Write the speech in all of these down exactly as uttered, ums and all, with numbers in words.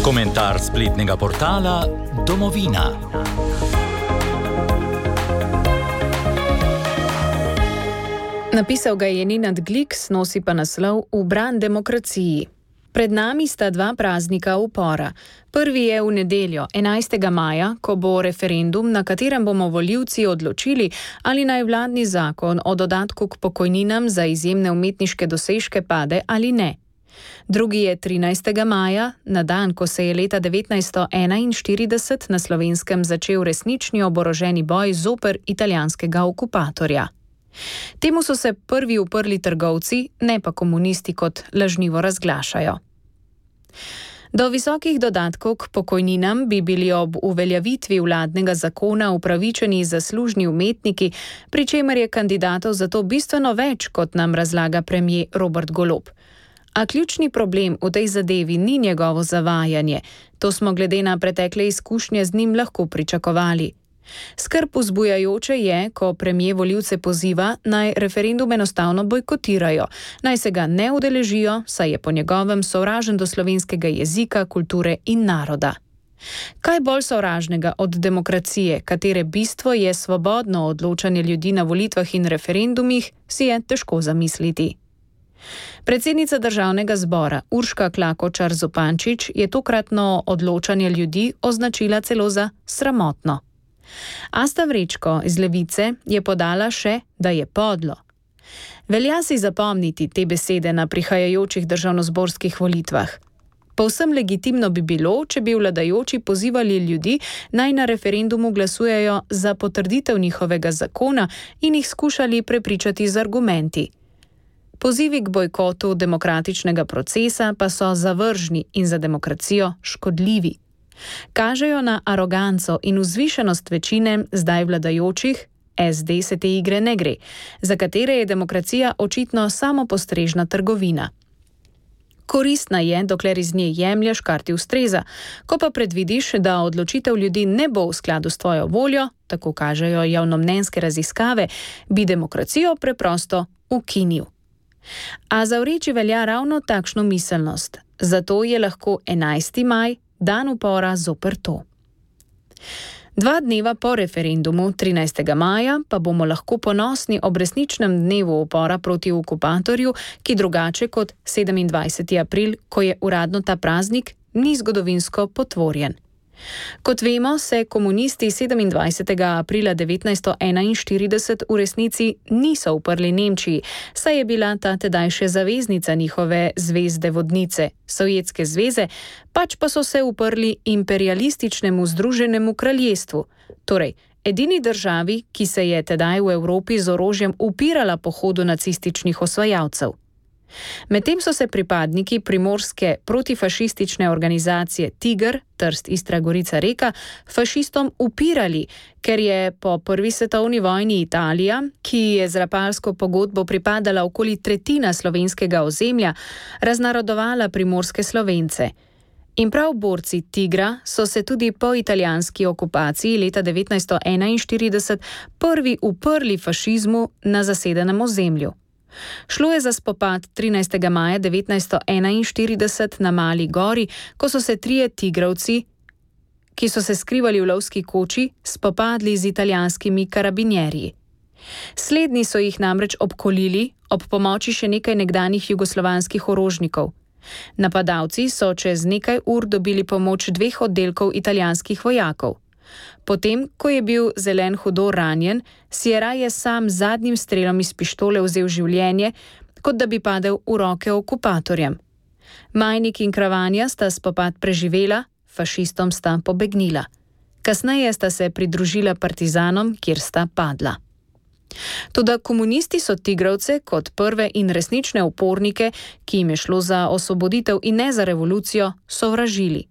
Komentar spletnega portala Domovina. Napisal ga je Nenad Gliks, nosi pa naslov V bran demokraciji. Pred nami sta dva praznika upora. Prvi je v nedeljo, enajstega maja, ko bo referendum, na katerem bomo volivci odločili, ali naj vladni zakon o dodatku k pokojninam za izjemne umetniške dosežke pade ali ne. Drugi je trinajstega maja, na dan, ko se je leta devetnajststo enainštirideset na Slovenskem začel resnični oboroženi boj zoper italijanskega okupatorja. Temu so se prvi uprli trgovci, ne pa komunisti, kot lažnivo razglašajo. Do visokih dodatkov k pokojninam bi bili ob uveljavitvi vladnega zakona upravičeni zaslužni umetniki, pri čemer je kandidatov za to bistveno več, kot nam razlaga premier Robert Golob. A ključni problem v tej zadevi ni njegovo zavajanje, to smo glede na pretekle izkušnje z njim lahko pričakovali. Skrb vzbujajoče je, ko premier volivce poziva, naj referendum enostavno bojkotirajo, naj se ga ne udeležijo, saj je po njegovem sovražen do slovenskega jezika, kulture in naroda. Kaj bolj sovražnega od demokracije, katere bistvo je svobodno odločanje ljudi na volitvah in referendumih, si je težko zamisliti. Predsednica državnega zbora Urška Klakočar Zupančič je tokratno odločanje ljudi označila celo za sramotno. Asta Vrečko iz Levice je podala še, da je podlo. Velja si zapomniti te besede na prihajajočih državnozborskih volitvah. Povsem legitimno bi bilo, če bi vladajoči pozivali ljudi, naj na referendumu glasujejo za potrditev njihovega zakona in jih skušali prepričati z argumenti. Pozivi k bojkotu demokratičnega procesa pa so zavržni in za demokracijo škodljivi. Kažejo na aroganco in vzvišenost večine zdaj vladajočih, es de se te igre ne gre, za katere je demokracija očitno samopostrežna trgovina. Koristna je, dokler iz nje jemlješ, kar ti ustreza, ko pa predvidiš, da odločitev ljudi ne bo v skladu s tvojo voljo, tako kažejo javnomnenjske raziskave, bi demokracijo preprosto ukinil. A za vreči velja ravno takšno miselnost, zato je lahko enajsti maj dan upora zoper to. Dva dneva po referendumu, trinajstega maja, pa bomo lahko ponosni ob resničnem dnevu upora proti okupatorju, ki drugače kot sedemindvajseti april, ko je uradno ta praznik, ni zgodovinsko potvorjen. Kot vemo, se komunisti sedemindvajsetega aprila devetnajststo enainštirideset v resnici niso uprli Nemčiji, saj je bila ta tedaj še zaveznica njihove zvezde vodnice, Sovjetske zveze, pač pa so se uprli imperialističnemu Združenemu kraljestvu, torej edini državi, ki se je tedaj v Evropi z orožjem upirala pohodu nacističnih osvajalcev. Medtem so se pripadniki primorske protifašistične organizacije Tiger, Trst, Istra, Gorica, Reka, fašistom upirali, ker je po prvi svetovni vojni Italija, ki je z rapalsko pogodbo pripadala okoli tretjina slovenskega ozemlja, raznarodovala primorske Slovence. In prav borci Tigra so se tudi po italijanski okupaciji leta devetnajststo enainštirideset prvi uprli fašizmu na zasedenem ozemlju. Šlo je za spopad trinajstega maja devetnajststo enainštirideset na Mali gori, ko so se trije tigrovci, ki so se skrivali v lovski koči, spopadli z italijanskimi karabinjerji. Slednji so jih namreč obkolili ob pomoči še nekaj nekdanjih jugoslovanskih orožnikov. Napadalci so čez nekaj ur dobili pomoč dveh oddelkov italijanskih vojakov. Potem, ko je bil Zelen hudo ranjen, si je raje sam z zadnjim strelom iz pištole vzel življenje, kot da bi padel v roke okupatorjem. Majnik in Kravanja sta spopad preživela, fašistom sta pobegnila. Kasneje sta se pridružila partizanom, kjer sta padla. Toda komunisti so tigrovce kot prve in resnične upornike, ki jim je šlo za osvoboditev in ne za revolucijo, sovražili.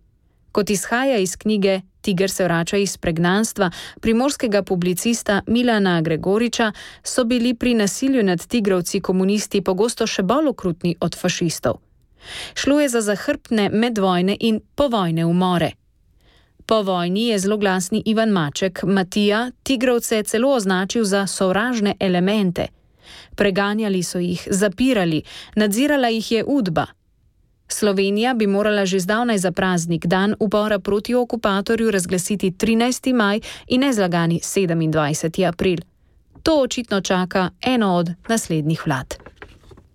Kot izhaja iz knjige Tiger se vrača iz pregnanstva primorskega publicista Milana Gregoriča, so bili pri nasilju nad tigrovci komunisti pogosto še bolj okrutni od fašistov. Šlo je za zahrbtne medvojne in povojne umore. Po vojni je zloglasni Ivan Maček Matija tigrovce celo označil za sovražne elemente. Preganjali so jih, zapirali, nadzirala jih je Udba. Slovenija bi morala že zdavnaj za praznik dan upora proti okupatorju razglasiti trinajsti maj in nezlagani sedemindvajseti april. To očitno čaka eno od naslednjih vlad.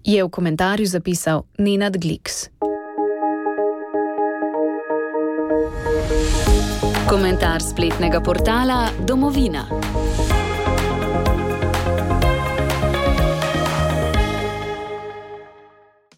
Je v komentarju zapisal Nenad Gliks. Komentar spletnega portala Domovina.